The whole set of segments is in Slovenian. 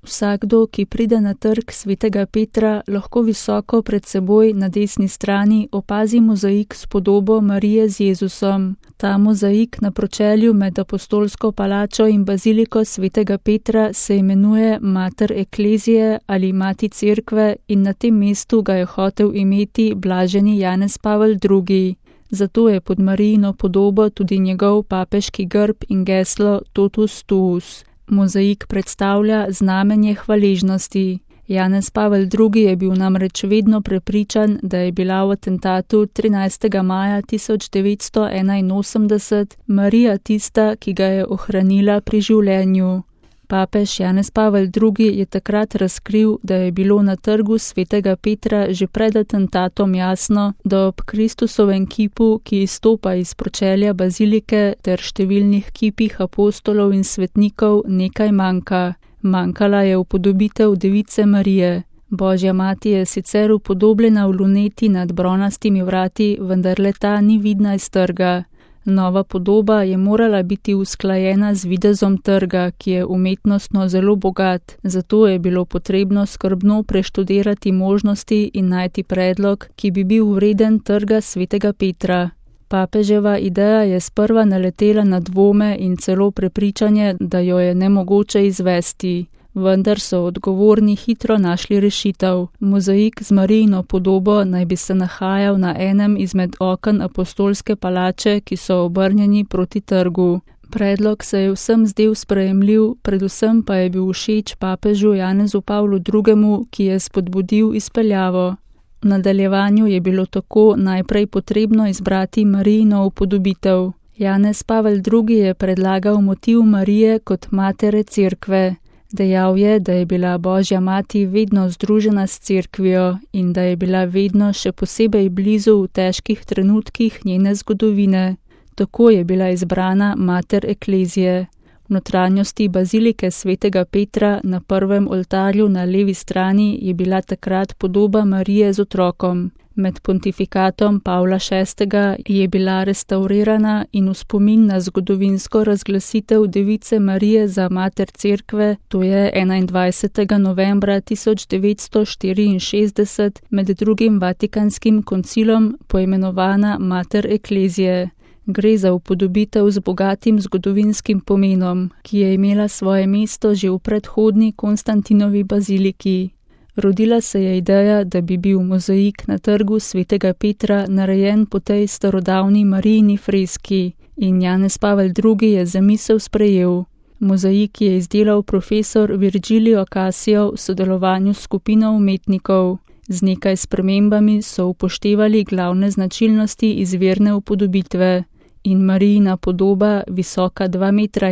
Vsakdo, ki pride na trg svetega Petra, lahko visoko pred seboj na desni strani opazi mozaik s podobo Marije z Jezusom. Ta mozaik na pročelju med apostolsko palačo in baziliko svetega Petra se imenuje Mater Eklezije ali Mati Cerkve in na tem mestu ga je hotel imeti blaženi Janez Pavel II. Zato je pod Marijino podobo tudi njegov papeški grb in geslo Totus Tuus. Mozaik predstavlja znamenje hvaležnosti. Janez Pavel II. Je bil namreč vedno prepričan, da je bila v atentatu 13. maja 1981 Marija tista, ki ga je ohranila pri življenju. Papež Janez Pavel II. Je takrat razkril, da je bilo na trgu svetega Petra že pred atentatom jasno, da ob Kristusovem kipu, ki izstopa iz pročelja bazilike ter številnih kipih apostolov in svetnikov, nekaj manjka. Manjkala je upodobitev Device Marije. Božja mati je sicer upodobljena v luneti nad bronastimi vrati, vendar le ta ni vidna iz trga. Nova podoba je morala biti usklajena z videzom trga, ki je umetnostno zelo bogat, zato je bilo potrebno skrbno preštudirati možnosti in najti predlog, ki bi bil vreden trga svetega Petra. Papeževa ideja je sprva naletela na dvome in celo prepričanje, da jo je nemogoče izvesti. Vendar so odgovorni hitro našli rešitev. Mozaik z Marijino podobo naj bi se nahajal na enem izmed oken apostolske palače, ki so obrnjeni proti trgu. Predlog se je vsem zdel sprejemljiv, predvsem pa je bil všeč papežu Janezu Pavlu II., ki je spodbudil izpeljavo. V nadaljevanju je bilo tako najprej potrebno izbrati Marijino upodobitev. Janez Pavel II. Je predlagal motiv Marije kot matere Cerkve. Dejal je, da je bila Božja mati vedno združena s Cerkvijo in da je bila vedno še posebej blizu v težkih trenutkih njene zgodovine. Tako je bila izbrana Mater Eklezije. V notranjosti bazilike svetega Petra na prvem oltarju na levi strani je bila takrat podoba Marije z otrokom. Med pontifikatom Pavla VI. Je bila restavrirana in v spomin na zgodovinsko razglasitev Device Marije za mater Cerkve, to je 21. novembra 1964 med drugim Vatikanskim koncilom poimenovana Mater Eklezije. Gre za upodobitev z bogatim zgodovinskim pomenom, ki je imela svoje mesto že v predhodni Konstantinovi baziliki. Rodila se je ideja, da bi bil mozaik na trgu svetega Petra narejen po tej starodavni Marijini freski in Janez Pavel II. Je zamisel sprejel. Mozaik je izdelal profesor Virgilio Casio v sodelovanju s skupino umetnikov. Z nekaj spremembami so upoštevali glavne značilnosti izvirne upodobitve. In Marijina podoba, visoka 2,5 metra,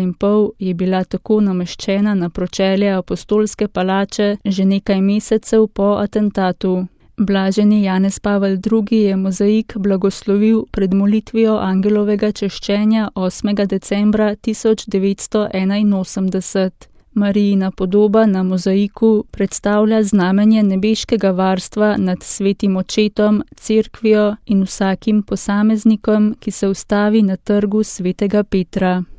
je bila tako nameščena na pročelje apostolske palače že nekaj mesecev po atentatu. Blaženi Janez Pavel II. Je mozaik blagoslovil pred molitvijo angelovega češčenja 8. decembra 1981. Marijina podoba na mozaiku predstavlja znamenje nebeškega varstva nad svetim očetom, Cerkvijo in vsakim posameznikom, ki se ustavi na trgu svetega Petra.